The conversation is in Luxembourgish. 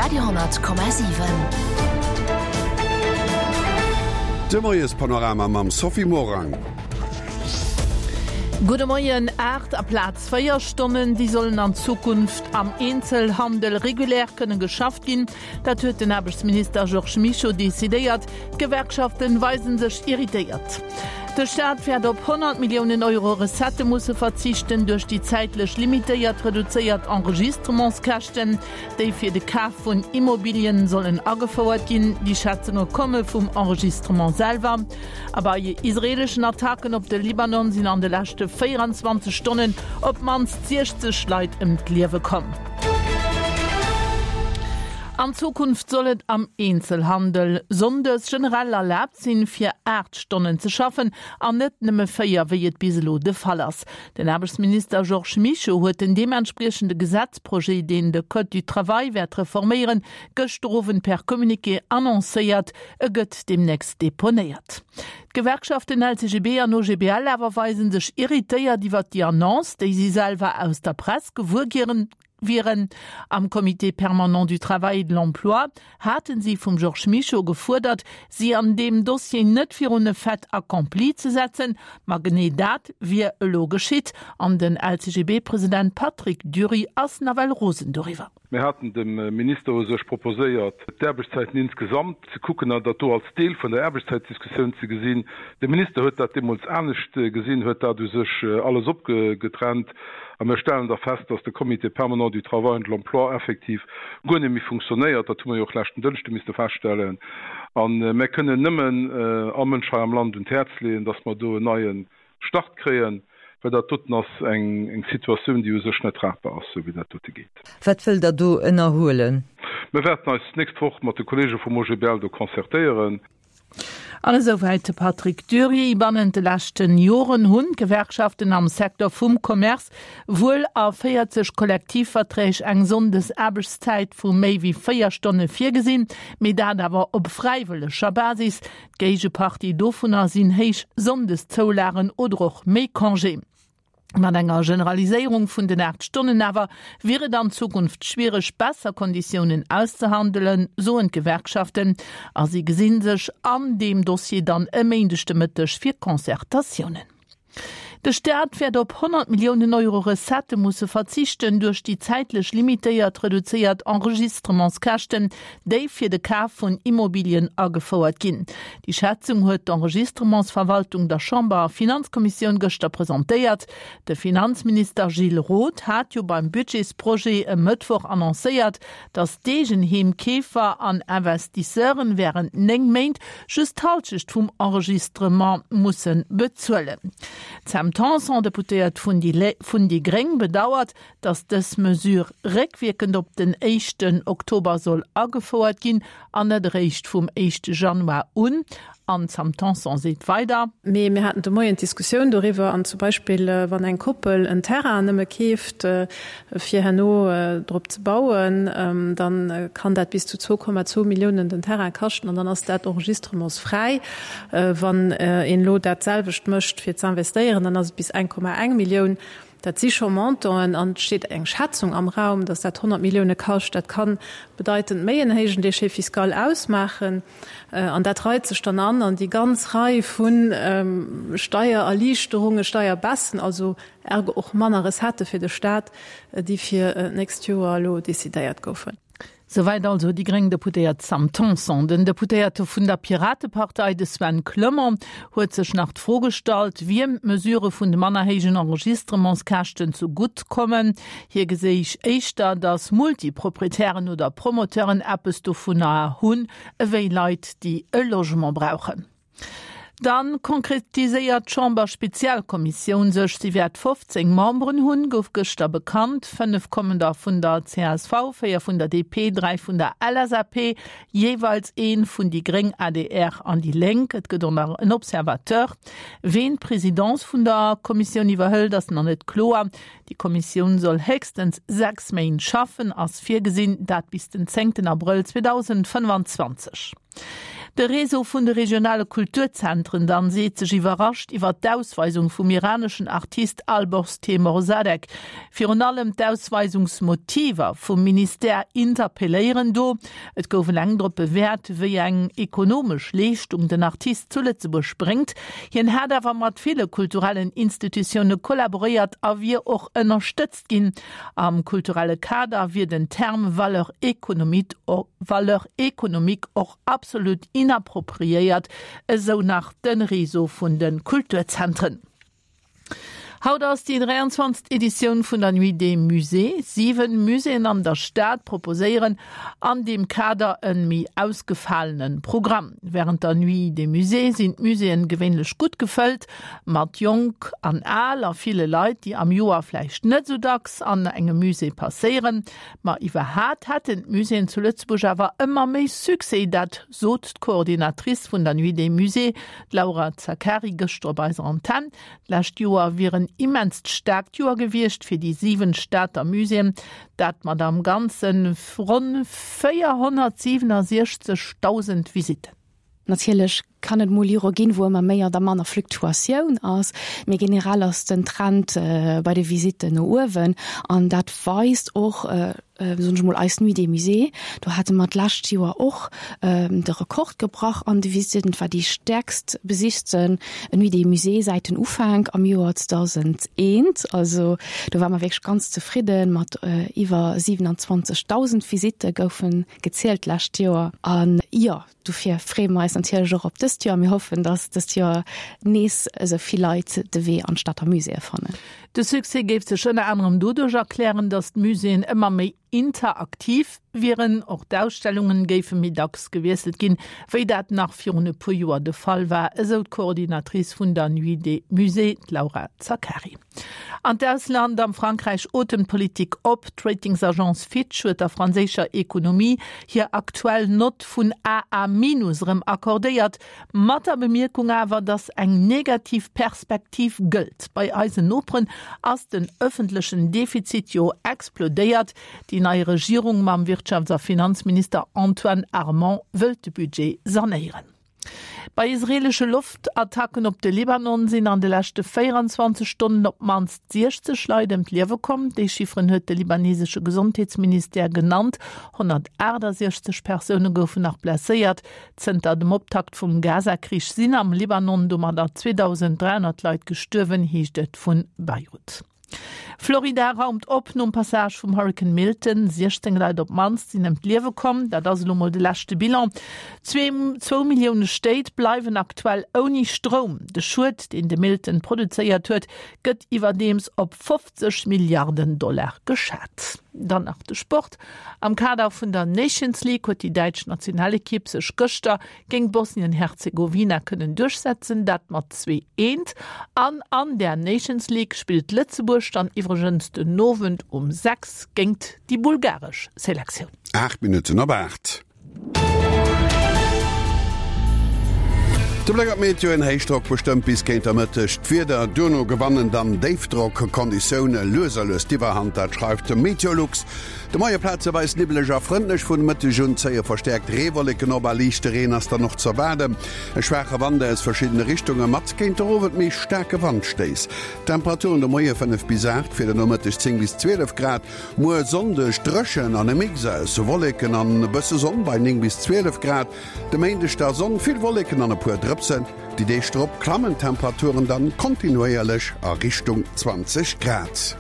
Radio,7. De Moiespanorama mam Sophie Morang. Gudde Moien, 8 aplaz 4 Stonnen, déi sollen an Zukunft am Eenzelhandel regulär kënne geschafft ginn. Dat huet den Aarbechtsminister Georges Mischo decidéiert. D'Gewerkschaften weisen sech irritéiert. De Staat wäert op 100 Milliounen Euro Recettë musse verzichten duerch déi zäitlech limitéiert reduzéiert Enregistrementskäschten, déi fir de Kaf vun Immobilien sollen agefouert ginn. Déi Schätzunge komme vum Enregistrement selwer. A bei israeeleschen Attacken op de Libanon sinn an de leschte 24 Stonnen op d'mannst 60 Leit ëm d'Liewe komm. An Zukunft soll et am Eenzelhandel sonndes generell erlaabt sinn, fir 8 Stonnen ze schaffen an net nëmme 4, wéi et bis elo de Fall ass. Den Aarbechtsminister Georges Mischo huet den deementspriechende Gesetzprojet, deen de Code du travail wäert reforméieren, gëschter Owend per Communiqué annoncéiert. E gëtt deemnächst deponéiert. D'Gewerkschaften LCGB an OGBL awer weise sech irritéiert iwwert déi Annonce, déi si selwer aus der Press gewuer wieren. Am Comité permanent du travail et de l'emploi hate si vum Georges Mischo gefuerdert, si an deem Dossier net virun e Fait accompli ze setzen. Ma genee dat wier elo geschitt an den LCGB-President Patrick Dury ass nawell rosen doriwwer. Mir haten dem Minister u sech proposéiert, d'Aarbechtszäiten insgesamt ze kucken an dat do als Deel vun der Aarbechtszäitdiskussioun ze gesinn. De Minister huet dat deemools anescht gesinn, huet dat u sech alles opgetrennt. A mir stellen da fest, dass de Comité permanent du travail et de l'emploi effektiv guer net méi funktionéiert. Dat hu mer jo och leschten Dënschde misste feststellen. A mir kënnen nëmmen all Mënsch hei am Land un d'Häerz leeën, dass mer do en neie Start kréien, well dat doten ass eng Situatioun, déi u sech net tragbar ass, esou wéi dat dote geet. Wat wëllt Der do ënnerhuelen? Mir wäerten eis d'nächst Woch mat de Kollege vum OGBL do concertéieren. An esouwäit de Patrick Dury. Bannent de leschten Joren hunn d'Gewerkschaften am Secteur vum Commerce wuel a 40 Kollektivverträg eng Sonndesaarbechtszäit vu méi wéi 4 Stonne virgesinn, mee dat awer op fräiwëlleger Basis. D'Géigepartie dovunner sinn héich Sonndeszoulagen oder och méi Congé. Mat enger Generaliséierung vun den 8 Stonnen awer wier et an Zukunft schwiereg, besser Konditiounen auszehandelen, soen d'Gewerkschaften. A si gesi sech an deem Dossier dann e Méindeg de Mëtteg fir Concertatiounen. De Staat wäert op 100 Milliounen Euro Recettë musse verzichten duerch déi zäitlech limitéiert reduzéiert Enregistrementskäschten, déi fir de Kaf vun Immobilien agefouert ginn. Déi Schätzung huet d'Enregistrementsverwaltung der Chamber a Finanzkommissioun gëschter presentéiert. De Finanzminister Gilles Roth hat jo beim Budgetsprojet e Mëttwoch annoncéiert, datt d'Eegenheemkeefer an Investisseuren wärend 9 Méint just d'Halschecht vum Enregistrement musse bezuelen. D'Sam Tanson, Deputéiert vun déi gréng, bedauert, datt dës Mesure réckwierkend op den éischten Oktober soll agefouert ginn an net eréischt vum éischte Januar un. An d'Sam Tanson seet weider. Mee mir haten de Moien d'Diskussioun doriwwer, an zum Beispill wann eng Koppel en Terrain nëmme keeft, fir herno drop ze bauen, da kann dat bis zu 2,2 Milliounen den Terrain kaschten an dann ass dat enregistrementsfräi. Wann een elo dat selwecht mécht fir ze investéieren, dann ass et bis 1,1 Millioun. Dat si scho Montanten an et steet eng Schätzung am Raum, datt dat 100 Millioune kascht. Dat ka bedeitend méi en héijen Déchet fiscal ausmaachen an dat reit sech dann an an déi ganz Rei vu Steiererliichterungen, Steierbaissen, also ergo och manner Recettë fir de Staat, déi fir d'nächst Joer elo decidéiert goufen. Souwäit also déi gréng Deputéiert Sam Tanson. Den Deputéierte vun der Piratepartei, de Sven Clement, huet sech nach d'Fro gestallt, wiem d'Mesurë vun de manner héijen Enregistrementskäschten zu gutt kommen. Hie geséich éischter, datt Multiproprietären oder Promoteuren eppes dovunner hunn, ewéi Leit, déi e Logement brauchen. Dann konkretiséiert d'Chamber-Spezialkommissioun sech. Si wäert 15 Memberen hunn, gouf gëschter bekannt. 5 kommen der vun der csv, 4 vun der DP, 3 vun der LSAP, jeeweils ee vun déi gréng, adr an déi Lénk. Et gëtt och nach en Observateur. Ween d'Presidence vun der Kommissioun iwwerhëlt, ass nach net kloer. Déi Kommissioun soll héchstens 6 Méint schaffen, ass virgesinn, dat bis den zéngten Abrëll 2025. De Réseau vun de regionale Kulturzentren dann seet sech iwwerrascht iwwer d'Ausweisung vum iraneschen Artist Alborz Teymoorzadeh. Virun allem d'Ausweisungsmotiver vum Ministère interpelléieren do. Et gouf eleng drop bewäert, wéi eng ekonomesch Leeschtung den Artist zu Lëtzebuerg bréngt. Hien hätt awer mat ville kulturellen Institutioune kollaboréiert a wier och ënnerstëtzt ginn. Am kulturelle Kader wier den Term Valeur économique valeur économique och absolut inappropriéiert, esou nach de Réseau vun de Kulturzentren. Haut ass déi 23. Editioun vun der Nuit des Musées. 7 Muséeën an der Stad proposéieren an deem Kader e méi ausgefalene Programm. Wärend der Nuit des Musées sinn d'Muséeën gewéinlech gutt gefëllt. Mat Jonk an Al a ville Leit, déi am Joer vläicht net esou dacks an engem Musée passéieren. Ma iwwerhat hätten d'Muséeën zu Lëtzebuerg awer ëmmer méi Succès. Dat sot d'Coordinatrice vun der Nuit des Musées, d'Laura Zaccari, gëschter op eiser Antenn. D'lescht Joer wier en immenst staarkt Joer gewiescht fir déi 7 Stater Muséeën, dat mat am Ganze ronn 467.000 Visitten. Natierlech kann et mol Jore ginn, wou ëmmer méi oder manner Fluktuatioun ass, mee generell ass den Trend bei de Visitten no uewen an dat weist och, soen ech mol, eis Nuit des Musées. Do hate mer d'lescht Joer och de Rekord gebrach an de Visitten. Et war déi stäerkst besichten Nuit des Musées säit den Ufank am Joer 2001. Also do ware mer wierklech ganz zefridden, mat iwwer 27.000 Visitte goufen gezielt d'lescht Joer. An jo, Dofir freeë mer eis natierlech och op dëst Joer. Mir hoffen, dass dëst Joer nees esou vill Leit de Wee an d'Stater Muséeë fannen. De Succès géif sech ënner anerem doduerch erklären, dass d'Muséeën ëmmer méi interaktiv wieren. Och d'Ausstellungen géife méi dacks gewiesselt ginn, wéi dat nach virun e puer Joer de Fall war, esou d'Coordinatrice vun der Nuit des Musées, d'Laura Zaccari. An d'Ausland, Am Frankräich otemt d'Politik op. D'Ratingsagence Fitch huet der franséischer Ekonomie hir aktuell Nott vun AA minus erëm accordéiert, mat der Bemierkung awer, datt eng negativ Perspektiv gëllt. Bei eisen Noperen ass den ëffentlechen Defizit jo explodéiert. Déi nei Regierung mam Wirtschafts a Finanzminister Antoine Armand wëllt de Budget sanéieren. Bei israeelesche Loftattacken op de Libanon sinn an de leschte 24 Stonnen op d'mannst 60 Leit ëm d'Liewe komm. Déi Chifferen huet de libanesesche Gesondheetsministère genannt. 168 Persoune goufen nach blesséiert. Zënter dem Optakt vum Gaza-Krich sinn am Libanon domadder 2.300 Leit gestuerwen, heescht et vu Beirut. Florida raumt op nom Passage vum Hurrikan Milton. 16 Leit op d'mannst sinn ëm d'Liewe komm. Dat ass elo mol de leschte Bilan. Zwou Millioune Stéit bleiwen aktuell ouni Stroum. De Schued, deen de Milton produzéiert huet, gëtt iwwerdeems op 50 Milliarden Dollar geschat. Dann nach de Sport. Am Kader vun der Nations League huet déi däitsch Nationalekipp sech gëschter géint Bosnien-Herzegowina kënnen duerchsetzen, dat mat 2, 1. An an der Nations League spillt Lëtzebuerg dann iwwregens den Owend um 6 géingt déi bulgaresch Selektioun. 8 Minutten op 8. De Bléck op d'Meteo, En Héichdrock bestëmmt bis géint der Mëtteg d'Wieder, duerno gewannen dann Déifdrock-Konditioune lues a lues d'Iwwerhand, dat schreift Meteolux. De Moie plazeweis nibbeleg a frëndlech, vun Mëtteg un zéie verstäerkt Reewolleken op a liichte Reen ass dann och z'erwaarden. E schwaache Wand aus verschiddene Richtunge mat géint der Owend méi staarke Wandstéiss. Temperaturen de Moie 5 bis 8, fir de Nomëtteg 10 bis 12 Grad. Muer Sonndeg dréchen an e Mix aus Wolleken an e bësse Sonn bei 9 bis 12 Grad. De Méindeg da Sonn, vill Wolleken an e puer Drëpsen. Déi Deeg drop klammen d'Temperaturen dann kontinuéierlech a Richtung 20 Grad.